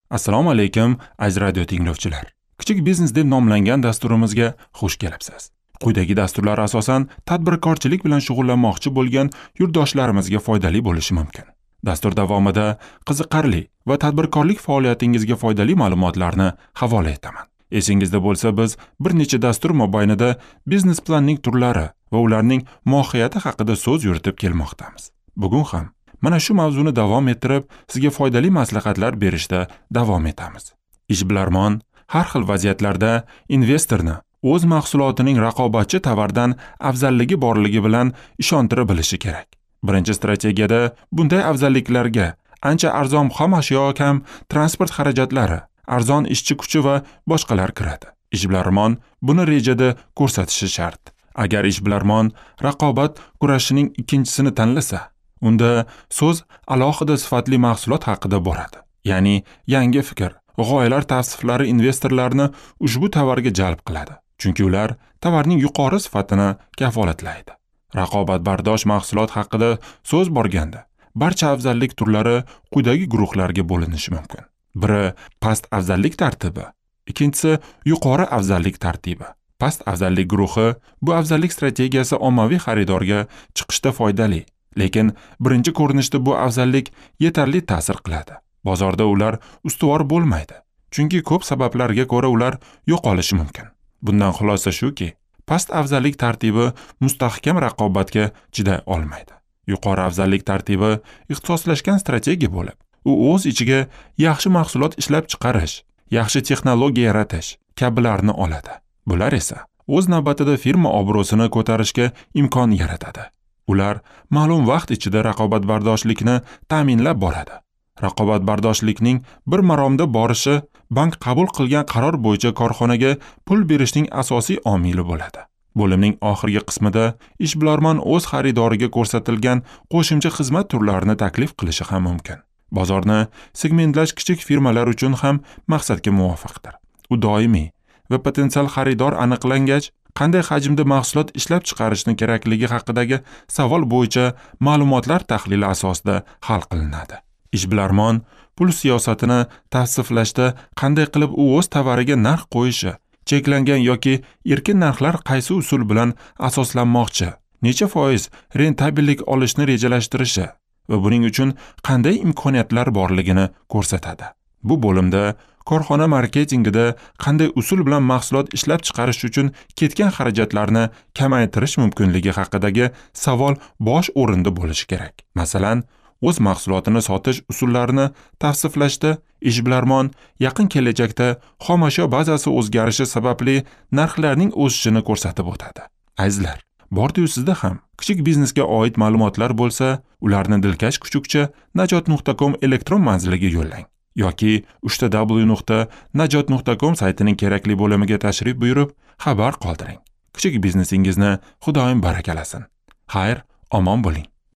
Assalomu alaykum, aziz radio tinglovchilar. Kichik biznes deb nomlangan dasturimizga xush kelibsiz. Quyidagi dasturlar asosan tadbirkorchilik bilan shug'ullanmoqchi bo'lgan yurtdoshlarimizga foydali bo'lishi mumkin. Dastur davomida qiziqarli va tadbirkorlik faoliyatingizga foydali ma'lumotlarni havola etaman. Esingizda bo'lsa, biz bir necha dastur mobaynida biznes planning turlari va ularning mohiyati haqida so'z yuritib kelmoqdamiz. Bugun ham mana shu mavzuni davom ettirib, sizga foydali maslahatlar berishda davom etamiz. Ishbilarmon har xil vaziyatlarda investorni o'z mahsulotining raqobatchi tovardan afzalligi borligi bilan ishontira bilishi kerak. Birinchi strategiyada bunday afzalliklarga ancha arzon xom ashyo, kam transport xarajatlari, arzon ishchi kuchi va boshqalar kiradi. Ishbilarmon buni rejada ko'rsatishi shart. Agar ishbilarmon raqobat kurashining ikkinchisini tanlasa, unda so'z alohida sifatli mahsulot haqida boradi. Ya'ni yangi fikr, g'oyalar tavsiflari investorlarni ushbu tovarga jalb qiladi. Chunki ular tovarning yuqori sifatini kafolatlaydi. Raqobatbardosh mahsulot haqida so'z borganda, barcha afzallik turlari quyidagi guruhlarga bo'linishi mumkin. Biri past afzallik tartibi, ikkinchisi yuqori afzallik tartibi. Past afzallik guruhi bu afzallik strategiyasi ommaviy xaridorga chiqishda foydali, lekin birinchi ko'rinishda bu afzallik yetarli ta'sir qiladi. Bozorda ular ustuvor bo'lmaydi, chunki ko'p sabablarga ko'ra ular yo'qolishi mumkin. Bundan xulosa shuki, past afzallik tartibi mustahkam raqobatga chiday olmaydi. Yuqori afzallik tartibi ixtisoslashgan strategiya bo'lib, u o'z ichiga yaxshi mahsulot ishlab chiqarish, yaxshi texnologiya yaratish kabilarni oladi. Bular esa o'z navbatida firma obro'sini ko'tarishga imkon yaratadi. Ular ma'lum vaqt ichida raqobatbardoshlikni ta'minlab boradi. Raqobatbardoshlikning bir maromda borishi bank qabul qilgan qaror bo'yicha korxonaga pul berishning asosiy omili bo'ladi. Bo'limning oxirgi qismida ishbilarmon o'z xaridoriga ko'rsatilgan qo'shimcha xizmat turlarini taklif qilishi ham mumkin. Bozorni segmentlash kichik firmalar uchun ham maqsadga muvofiqdir. U doimiy va potensial xaridor aniqlangach, qanday hajmda mahsulot ishlab chiqarishni kerakligi haqidagi savol bo'yicha ma'lumotlar tahlili asosida hal qilinadi. Ishbilarmon pul siyosatini tavsiflashda qanday qilib u o'z tovariga narx qo'yishi, cheklangan yoki erkin narxlar qaysi usul bilan asoslanmoqchi, necha foiz rentabellik olishni rejalashtirishi va buning uchun qanday imkoniyatlar borligini ko'rsatadi. Bu bo'limda korxona marketingida qanday usul bilan mahsulot ishlab chiqarish uchun ketgan xarajatlarni kamaytirish mumkinligi haqidagi savol bosh o'rinda bo'lishi kerak. Masalan, o'z mahsulotini sotish usullarini tavsiflashda ishbilarmon yaqin kelajakda xomashyo bazasi o'zgarishi sababli narxlarning o'sishini ko'rsatib o'tadi. Azizlar, bordi-yu sizda ham kichik biznesga oid ma'lumotlar bo'lsa, ularni dilkash kuchukcha najot.com elektron manziliga yo'llang yoki www.najot.com saytining kerakli bo'limiga tashrif buyurib, xabar qoldiring. Kichik biznesingizni Xudoyim barakalasin. Xayr, omon bo'ling.